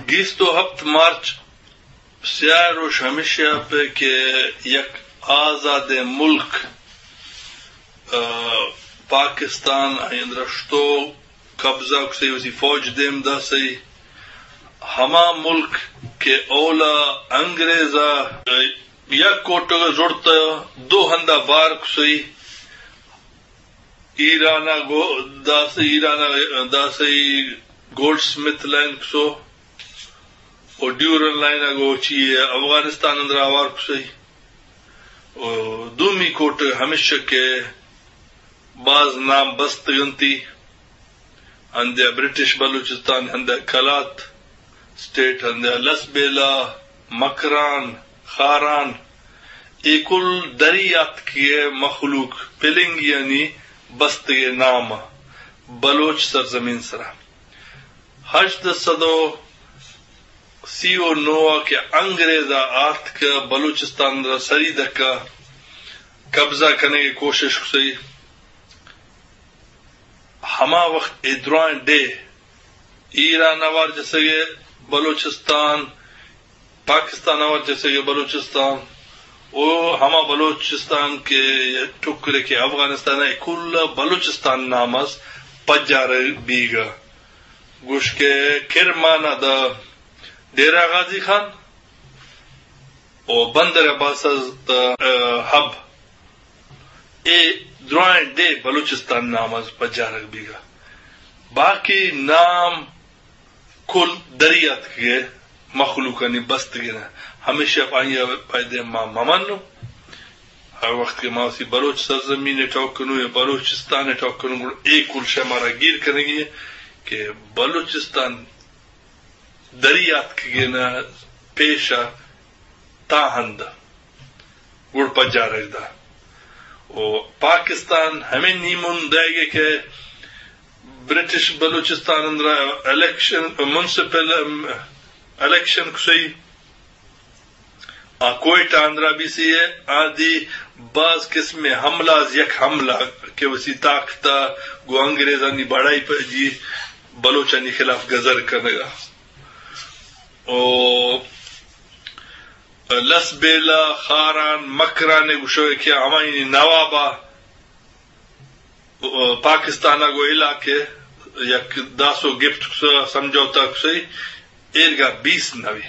گیست و ہپت مارچ سیاہ روش ہمیشہ پہ کہ یک آزادیں ملک، آ، پاکستان آئی اندرا شتو قبضہ کسئی، وتی فوج دیم داسئی، ہما ملک کہ اولا انگریزا یک کوٹگ زڑتا دو ہندا بار کسئی، ایران ء گو-، داس ایران ء داسئی گولڈ سمتھ لائن کسو و ڈیورن لائن ء گو چی افغانستان اندر آوار کسئی۔ و دومی کوٹ ہمیش کہ باز نام بستگنتی، ہندے برٹش بلوچستان، ہندے کلات اسٹیٹ، ہندے لسبیلہ، مکران، خاران، اے کل دری آتکگے مخلوق پلنگیانی بستگے نام بلوچ سرزمین سرا۔ ہژدہ سد و سی و نو ء کہ انگریز ء آتک بلوچستان را سری دکا قبضہ کنگے کوشش کسئی۔ ہما وخت اے درائیں ڈیھ ایران آوار جسگے بلوچستان، پاکستان آوار جسگے بلوچستان، او ہما بلوچستان کہ ٹکرے کہ افغانستان ء کل بلوچستان نام اس پجار بیگا۔ گوش کہ کرمانہ دا ڈیرہ غازی خان، و بندر عباس از، آ، حب، اے درائیں ڈیھ بلوچستان نام از پجارگ بیگا۔ باقی نام کل دری آتکگے مخلوقانی بستگے نہ۔ ہمیشہ پہ آئی ء پائدے ما ممنو۔ ہر وخت کہ ما اسی بلوچ سرزمین ء ٹوک کنو یا بلوچستان ء ٹوک کنو، گڑا اے کل شے مارا گیر کنگی ہے کہ بلوچستان دری آتکگین ء پیش ء تا ہند گڑ پجارگ دا۔ و پاکستان ہمے نیمون دئیگے کہ برٹش بلوچستان اندرا الیکشن، میونسپل الیکشن کسئی، آ کوئٹہ اندرا بی سی اے، آ دی باز قسم حملہ از یک حملہ کہ وسی طاقت ء گوں انگریزانی بڑائی پجی بلوچانی خلاف گزر کنگا۔ او لسبیلہ، خاران، مکران ء گوشو کہ ہمایانی نواب ء پاکستان ء گوں علاقے یک داسو گپت کسا سمجھوتہ کسئی ایرگا بیس نوی۔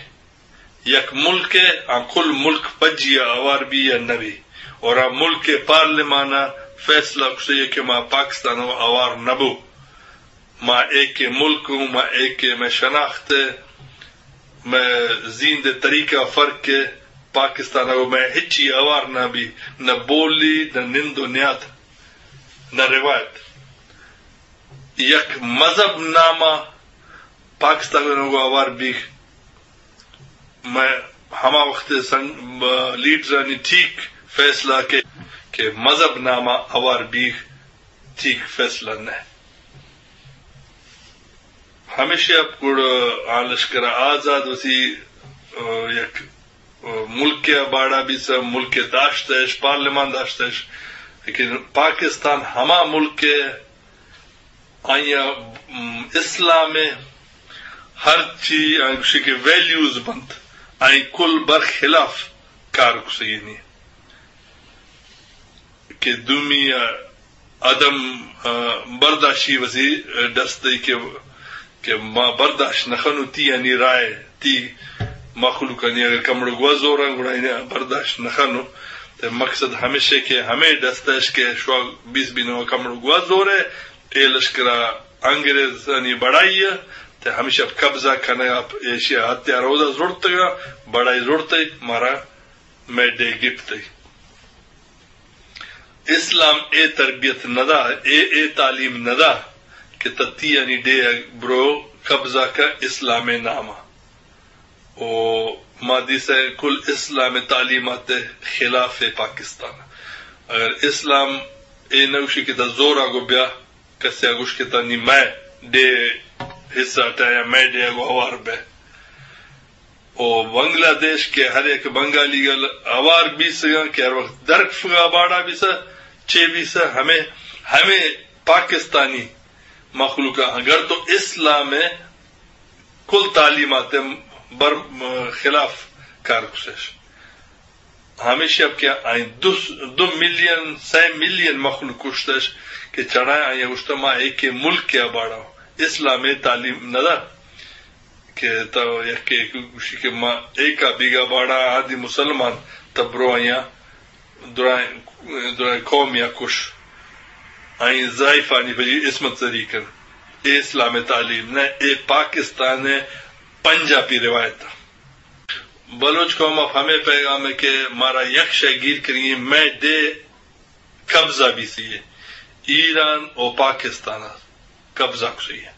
یک ملک ء آ کل ملک پجی ء اوار بی یا نبی، اور آ ملک ء پارلیمان ء فیصلہ کسئی کہ ما پاکستان ء اوار نبو، ما ایک ملک ہوں، ما ایک مئے شناخت ء مئے زیند ء طریقہ فرق ء پاکستان ء مئے ہچی اوار نہ بی، نہ بولی، نہ نند و نیاد، نہ روایت۔ یک مذہب نامہ پاکستان ء گوں اوار بیگ، مئے ہما وخت سنگ-، لیڈرانی ٹھیک فیصلہ کہ، کہ مذہب نامہ اوار بیگ ٹھیک فیصلہ نہ۔ ہمیشی ء گڑ آ لشکر آزاد وتی، آ، یک، آ، ملک ء باڑا بیسہ، ملک ء داشتش، پارلیمان داشتش، لیکن پاکستان ہما ملک ء آئی ء، م، اسلام ء ہرچی آئی گوشی کہ ویلیوز بنت، آئی کل برخلاف کار کسگینی کہ دومی ء عدم، آ، برداشی وسی ڈستی کہ، کہ ما برداشت نہ کنو تی یعنی رائے، تی مخلوقانی اگر کمڑو گوا زوراں گڑا اینا برداشت نہ کنو۔ تے مقصد ہمیشہ کہ ہمیں ڈستش کہ شوا بیس بینو کمڑو گوا زورے، اے لشکرا انگریزانی بڑائی ء، تے ہمیشہ قبضہ کنگا، ایشی ء ہتھیار اودا زڑتگا، بڑائی زڑتے، مارا مئے ڈیھ گپتئی۔ اسلام اے تربیت نہ دا، اے، اے تعلیم نہ دا کہ تتیانی ڈیھ ء برو قبضہ کا اسلام ء نام ء۔ او ما دیسہ کل اسلام ء تعلیمات ء خلاف ء پاکستان۔ اگر اسلام اے نوشی کہ تا زور آگو بیا، کسے ء گوش کہ تا نی مئے ڈیھ حصہ ٹا یا مئے ڈیھ ء گوں ہوار بئے۔ او بنگلہ دیش کہ ہر یک بنگالی گل ہوار بیسگاں کہ ہر وقت درکفگا باڑا بیسہ، چے بیسہ، ہمے، ہمے پاکستانی مخلوق ء اگر تو اسلام ء کل تعلیمات بر خلاف کار کشش۔ ہمیشہ اب کہ آئی دو، دو ملین، سئے ملین مخلوق کشتش کہ چڑھائیں آئی گوشتہ ما ایک ملک کے باڑا اسلام تعلیم نہ دا کہ تو یک گوشی کہ ما ایک بیگا باڑا آدی مسلمان تبرو آیا درائیں، درائیں قوم یا کش آئی ضعیفانی بجی عصمت زری کن۔ اے اسلام تعلیم نہ، اے پاکستان پنجابی روایت۔ بلوچ قوم ء ہمے پیغام ہے کہ مارا یک شے گیر کریے، مئے دے قبضہ بیسی ہے، ایران و پاکستان ء قبضہ کسی ہے۔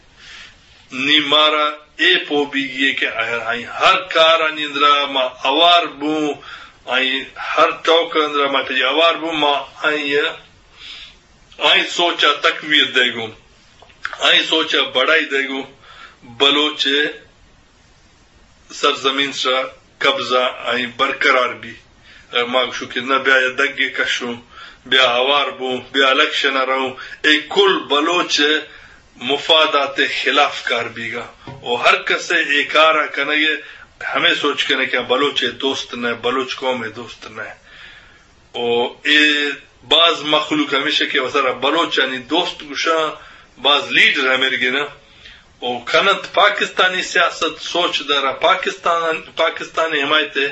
نی مارا اے پو بیگی ہے کہ آئی ہر کار آنی اندرا ما اوار بوں، آئی ہر ٹوک اندرا ما پجی اوار بوں، ما آئی، آئی سوچا تقویت دے گوں، آئی سوچا بڑائی دے گوں۔ بلوچ سرزمین سرا قبضہ آئی برقرار بی۔ اگر ما گوشوں کہ نہ بیا یا دگے کشوں، بیا ہوار بوں، بیا الیکشن ء رہوں، اے کل بلوچ مفادات خلاف کار بیگا۔ و ہر کسے اے کارا کنگے ہمیں سوچ کنے کہ بلوچ دوست نہ، بلوچ قوم دوست نہ۔ و اے باز مخلوق ہمیشہ کہ وسرا بلوچانی دوست گوشاں، باز لیڈر ہمیر گنا و کننت پاکستانی سیاست سوچ دارا پاکستان، پاکستانی حمایت ہے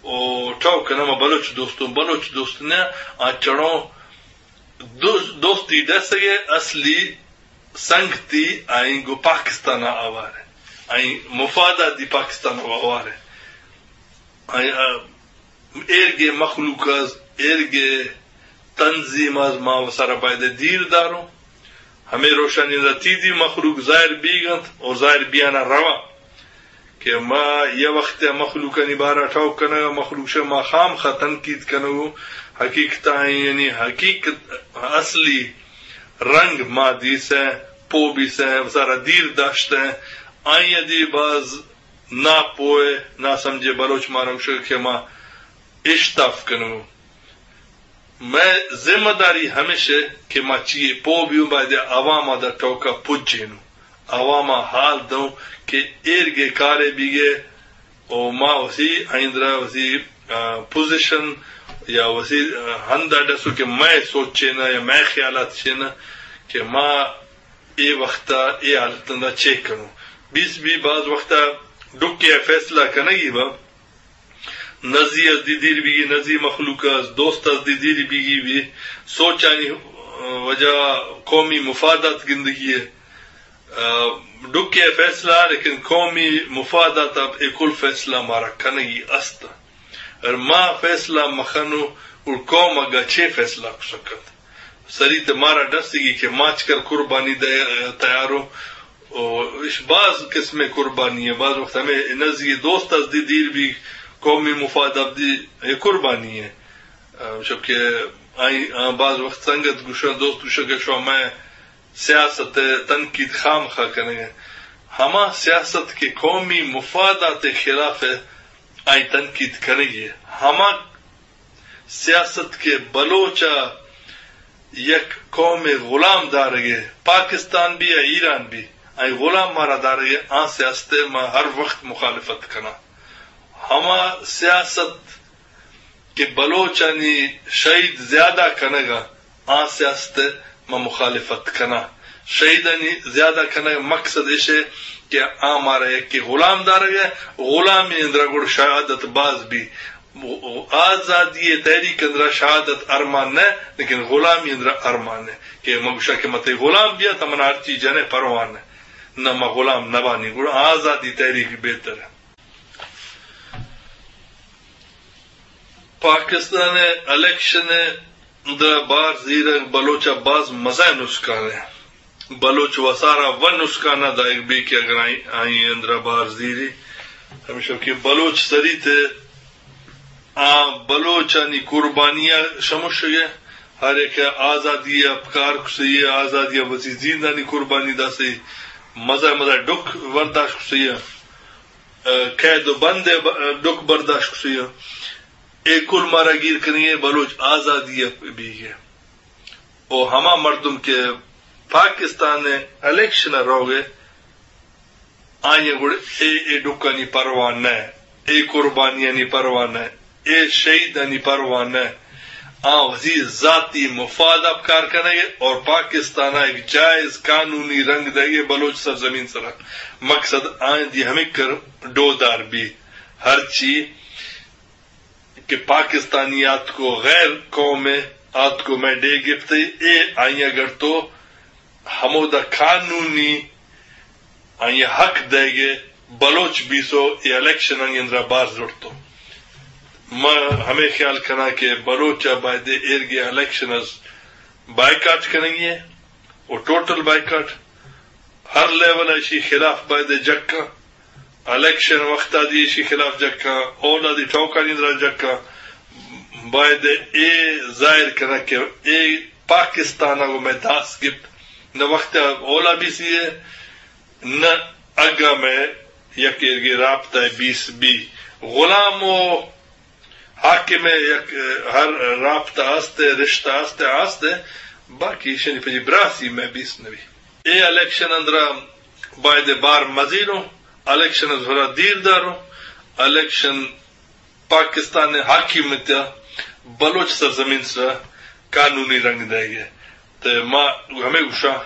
و ٹوک کنا ما بلوچ دوستوں، بلوچ دوست نے آ چڑوں دوست، دوستی ڈسگے اصلی سنگتی آئیں گو پاکستان آوار ہے، آئیں مفادات دی پاکستان آوار ہے۔ آئیں، آ، ایرگے مخلوق از، ایرگے تنظیم از ما وسارا باید دیر داروں۔ ہمیں روشانی را تیدی مخلوق ظاہر بیگنت اور ظاہر بیانا روا کہ ما یہ وقت مخلوقانی بارا ٹوک کنگا، مخلوق شہ ما خام خا تنقید کنگو، حقیقت آئیں یعنی حقیقت اصلی رنگ ما دیسے، پو بیسے، وسارا دیر داشتے، آئیں دی باز نا پوئے، نا سمجھے بلوچ مارا گوشگ کہ ما اشتاف کنوں۔ مئے ذمہ داری ہمیش ہے کہ ما چیئے پو بیوں، باید عوام دا ٹوکا پجینوں، عوام حال دوں کہ ایرگے کارے بیگے او ما وسی آئندرا وسی، آ، پوزیشن یا وسی، آ، ہندا ڈسو کہ مئے سوچ چینا یا مئے خیالات چینا کہ ما اے وختا اے حالت اندا چیک کنوں۔ بیس بی باز وختا ڈکے فیصلہ کنگی با، نزی از دی دیر بیگی، نزی مخلوق از دوست از دی دیر بیگی بی، سوچانی، آ، وجہ قومی مفادات گندگی ہے۔ آ، ڈکے فیصلہ، لیکن قومی مفادات اب اے کل فیصلہ مارا کنگی است۔ اور ما فیصلہ مخنو اور قوم اگا چے فیصلہ کسکت۔ سری تے مارا ڈسگی کہ ماچکر قربانی دے تیارو۔ او اش باز قسم قربانی ہے۔ باز وقت ہمیں نزی دوست از دی دیر بی قومی مفاد اب دی اے قربانی ہے۔ آ، شب کہ آئی، آ، باز وقت سنگت گوشا، دوست گوشا کہ شو میں سیاست ء تنقید خام خواہ کنگ ء۔ ہما سیاست کہ قومی مفادات ء خلاف ء آئی تنقید کنگی ء۔ ہما سیاست کہ بلوچ ء یک قوم ء غلام دارگ ء، پاکستان بھی یا ایران بھی، آئی غلام مارا دارگ ء، آ سیاست ء ما ہر وقت مخالفت کناں۔ ہما سیاست کہ بلوچانی شہید زیادہ کنگا، آ سیاست ء ما مخالفت کناں۔ شہیدانی زیادہ کنگ مقصد ایش ہے کہ آ مارا یکے غلام دارگ ہے، غلامی اندرا گڑ شہادت باز بھی۔ آزادی تحریک اندرا شہادت ارمان نہ، لیکن غلامی اندرا ارمان ہے کہ مگوشا کہ متے غلام بیا تا من ہر چیز جنے پرواہ نہ، نہ ما غلام نہ بانی، گڑا آزادی تحریک بہتر ہے۔ پاکستان ء الیکشن ء درا بار زیرگ بلوچ ء باز مزہ نسکان ء۔ بلوچ وسارا و نسکان ء دائگ بی کہ اگر آئی، آئی اندرا بار زیری۔ ہمیشہ کہ بلوچ سریت ء آ بلوچانی قربانی ء شمشگ ء۔ ہر ایک آزادی ء کار کسی ء، آزادی ء وتی زیندانی قربانی داسی، مزہ مزہ ڈک برداشت کسی ء۔ قید و بند ء ب-، ڈک برداشت کسی ء۔ اے کل مارا گیر کنی ء بلوچ آزادی ء بیگ ء۔ او ہما مردم کہ پاکستان ء الیکشن ء روگ ء آئی ءَ گڑا اے، اے ڈکھانی پرواہ نہ، اے قربانیانی پرواہ نہ، اے شہیدانی پرواہ نہ۔ آ وتی ذاتی مفاد ءَ پکار کنگ ءَ اور پاکستان ءَ ایک جائز قانونی رنگ دئیگ ءَ بلوچ سرزمین سرا۔ مقصد آئی دی ہمے کر ڈودار بی۔ ہرچی کہ پاکستانی آتکو، غیر قوم آتکو مئے ڈیھ گپتے، اے آئی ءَ گڑتو ہمودا قانونی آئی ءَ حق دئیگ ءَ بلوچ بیسو اے الیکشن آئی اندرا بار زڑتو۔ ما ہمے خیال کناں کہ بلوچ ءَ باید ایرگے الیکشن از بائیکاٹ کنگی ہے، و ٹوٹل بائیکاٹ۔ ہر لیول ءَ ایشی خلاف باید جکاں، الیکشن وخت ءَ دی ایشی خلاف جکاں، اولادی ٹوکانی اندرا جکاں۔ باید اے ظاہر کناں کہ اے پاکستان ءَ گوں مئے داس گپت، نہ وخت ءَ اولا بیسی ہے، نہ اگاں مئے یک ایرگے رابطہ بیس بی۔ غلام و حاکم ءِ یک، ہر رابطہ است ءَ، رشتہ است ءَ، است ءَ، باقی ایشانی پجی براسی مئے بیس نبی۔ اے الیکشن اندرا باید بار مزیروں، الیکشن از ہرا دیر داروں، الیکشن پاکستان ءِ حاکمیت ءَ بلوچ سرزمین سرا قانونی رنگ دئیگ ءَ۔ تے ما ہمے گوشاں،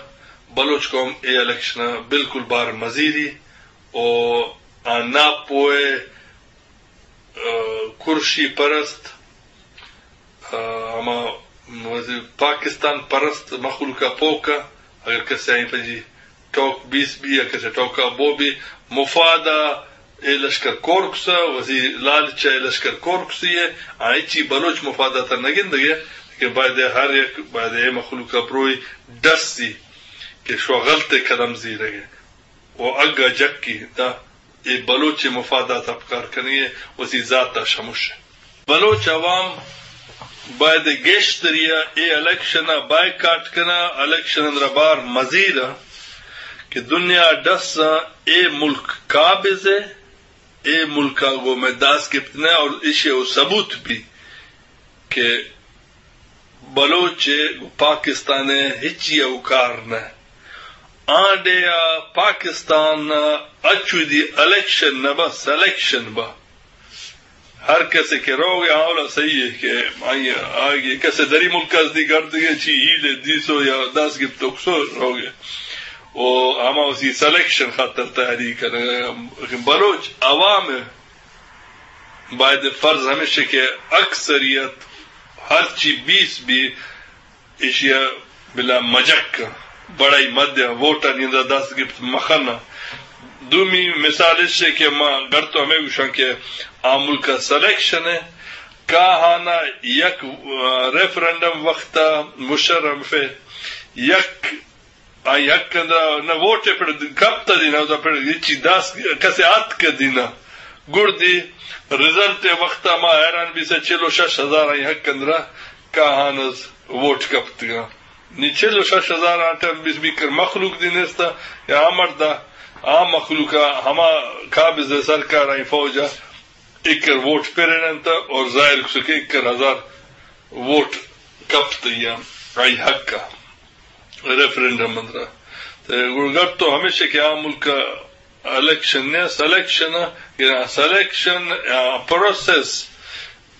بلوچ قوم اے الیکشن ءَ بالکل بار مزیری و آ ناپوئے، آ، کرشی پرست، آ، ہما وزیر پاکستان پرست مخلوق ءَ پوک ءَ، اگر کسے آئی پجی ٹوک بیس بی یا کسے ٹوکا بو بی، مفاد ءَ اے لشکر کورکس ءَ، وزیر لالچ ءَ اے لشکر کورکسی ءَ، آئی چی بلوچ مفادات ءَ نہ گندگ ءَ کہ باید ہر یک، باید اے مخلوق ءَ پروئی ڈسی کہ شو غلط قدم زیرگ ءَ۔ و اگاں جکی دا اے بلوچ مفادات ءَ پکار کنی ءَ وتی ذات ءَ شموش۔ بلوچ عوام باید گیشتری ءَ اے الیکشن ءَ بائیکاٹ کناں، الیکشن اندرا بار مزیراں کہ دنیا ڈساں اے ملک قابض ءَ، اے ملک ءَ گوں مئے داس گپت نہ اور ایشی ءَ ثبوت بی کہ بلوچ ءَ گوں پاکستان ءَ ہچی ءَ کار نہ۔ آں ڈیھ ءَ پاکستان ءَ اچو دی الیکشن نہ با، سلیکشن با۔ ہر کسے کہ روگ ءَ اولا صحیح ہے کہ آئی، آگے کسے دری ملک ءَ دی گردگے چی ہیل دیسو یا داس گپتوکسو روگ ءَ۔ او ہما اسی سلیکشن خاطر تیاری کرے۔ بلوچ عوام ءَ باید فرض ہمیش کہ اکثریت ہرچی بیس بی ایشی ءَ بلا مجک بڑائی مدیا ووٹانی اندر دست گپت مخنا۔ دومی مثال ایش کہ ما گڑتو ہمے گوشاں کہ آ ملک ءَ سلیکشن ءَ کاہانا یک، آ، ریفرنڈم وقت ءَ مشرف ءَ یک آئی حق اندرا نہ ووٹ ءَ پڑ کپت ءَ دینا، اودا پڑ ہچی داس کسے آتک ءَ دینا۔ گڑدی رزلٹ ءِ وقت ءَ ما حیران بیسہ چل و شش ہزار آئی حق اندرا کاہان از ووٹ کپتگاں۔ نی چل و شش ہزار آ ٹائم بیس بیکر مخلوق دی نیستا یا آ مردا آ مخلوق ءَ ہما قابض سرکار آئی فوج ءَ ایکر ووٹ پریننت اور ظاہر کسو کہ ایکر ہزار ووٹ کپت یا آئی حق ءَ۔ ریفرنڈم اندرا۔ تے گڑا گپ تو ہمیش کہ آ ملک ءَ الیکشن نہ، سلیکشن ءَ، یا سلیکشن، آ، پروسیس،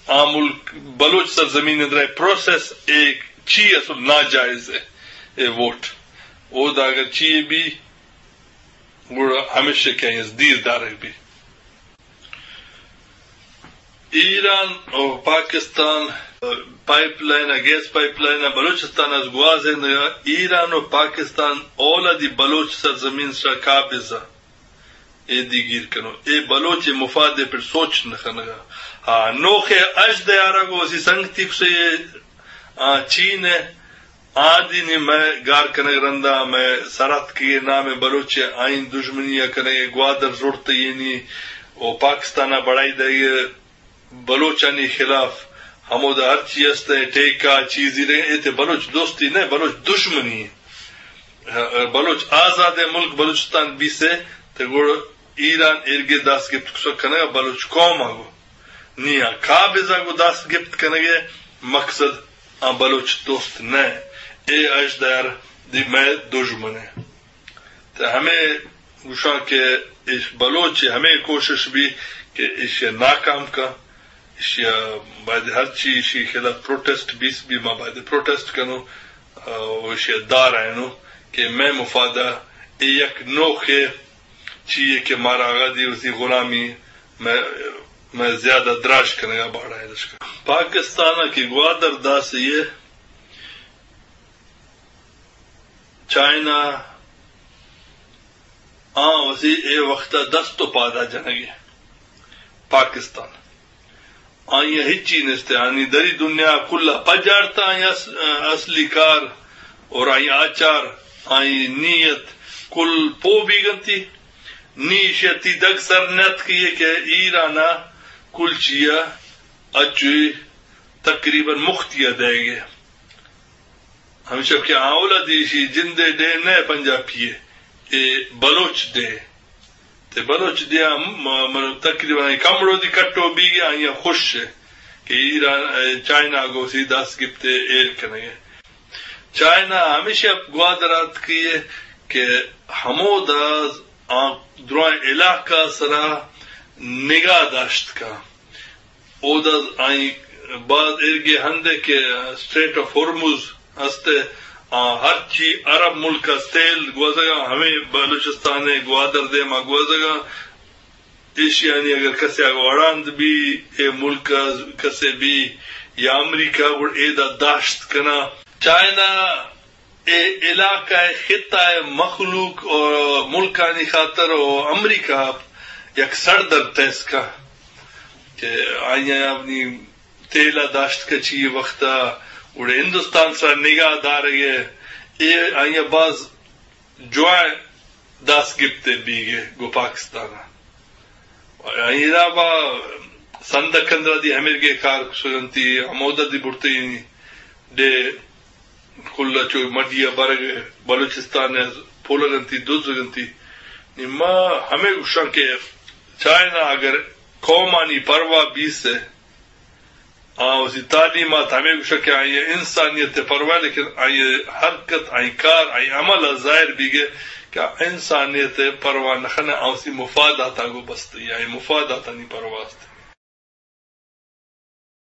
آ ملک بلوچ سرزمین اندرا پروسیس ایک چی اصل ناجائز ہے، اے ووٹ۔ او دا اگر چی بی، گڑا ہمیش کہ از دیر دارگ بی۔ ایران و پاکستان پائپ لائن ءَ، گیس پائپ لائن ءَ بلوچستان از گوازینگ ءَ، ایران و پاکستان اولادی بلوچ سرزمین سرا قابض ءَ۔ اے دیگیر کنو، اے بلوچ مفاد ءِ پر سوچ نہ کنگ ءَ۔ ہاں، نوخ ءَ اژ دیارگ و وسی سنگتی کسے، آ، چین ءَ آدینی مئے گار کنگ رندا مئے سراتکی نام بلوچ آئین دژمنی ءَ کنگ، گوادر زڑتینی و پاکستان ءَ بڑائی دئیگ بلوچانی خلاف ہمودا ہرچی است ءَ ٹیکہ چیزی رہے، اے تے بلوچ دوستی نہ، بلوچ دژمنی۔ بلوچ آزاد ملک بلوچستان بیسے تے گڑ ایران ایرگے داس گپت کسک کنگ بلوچ قوم ءَ گو نیا قابض ءَ گو داس گپت کنگ مقصد آ بلوچ دوست نہ، اے اژدار دی مئے دژمن ءَ۔ تے ہمے گوشاں کہ ایش بلوچ ہمے کوشش بی کہ ایشی ناکام کا، ایشی باید ہرچی ایشی خلاف پروٹیسٹ بیس بی، ما باید پروٹیسٹ کنو، او ایشی دار اینو کہ میں مفادہ اے یک نوخے چیئے کہ مارا آغا دی وتی غلامی میں، میں زیادہ دراج کنگا باڑا ہے دشکا۔ پاکستان کی گوادر داسی ہے، چائنا آ وتی اے وقت ء دست و پادا جنگے۔ پاکستان آئی ء ہچی نیست، آنی دری دنیا کل ء پجارتا، آئی اس-، اصلی کار اور آئی آچار، آئی نیت کل پو بیگنتی۔ نی شتی دگ سر نیت کیے کہ ایران ء کل چیا اچوی تقریباً مختی ء دے گے۔ ہمیشہ کہ آولا دیشی جندے ڈے نہ پنجابی ء، اے بلوچ ڈے۔ تے بلوچ ڈے ہم، م-، م-، تقریباً کمڑو دی کٹو بیگے، آئی خوش ہے کہ ایران، اے، چائنا گو سی دست گپتے ایر کنگے۔ چائنا ہمیشہ گوادرات کی ہے کہ ہمودا آ درائیں علاقہ سرا نگاہ داشت کا۔ اودا آئی باز ایرگے ہندے کہ اسٹریٹ آف ہرمز ہستے، آ ہرچی عرب ملک ء تیل گوزگا ہمیں بلوچستان ء گوادر دیما گوزگا۔ ایشیانی اگر کسے آگا وڑاند بی، اے ملک ء کسے بی یا امریکہ گڑ ایدا داشت کنا۔ چائنا اے علاقہ ء خطہ ء مخلوق و ملکانی خاطر و امریکہ یک سردر تیسکا کہ آئی ء اپنی تیل ء داشت کچی وقت ء گڑا ہندوستان سرا نگاہ دارگ ء اے آئی ء باز جوائیں دست گپتے بیگ ء گو پاکستان ء۔ ایرا با سندھ کندرا دی ہمیرگے کار کسگنتی، ہمودا دی برتے ڈے کل چو مڈی ء برگ بلوچستان ء پولگنتی، دزگنتی۔ نی ما ہمے گوشاں کہ چائنا اگر قومانی پرواہ بیس ء، آ وتی تعلیمات ہمے گوشاں کہ آئی انسانیت ء پرواہ، لیکن آئی حرکت، آئی کار، آئی عمل ء ظاہر بیگے کہ آ انسانیت ء پرواہ نہ خنے، آ وتی مفادات ء گو بستی، آئی مفاداتانی پرواہ است۔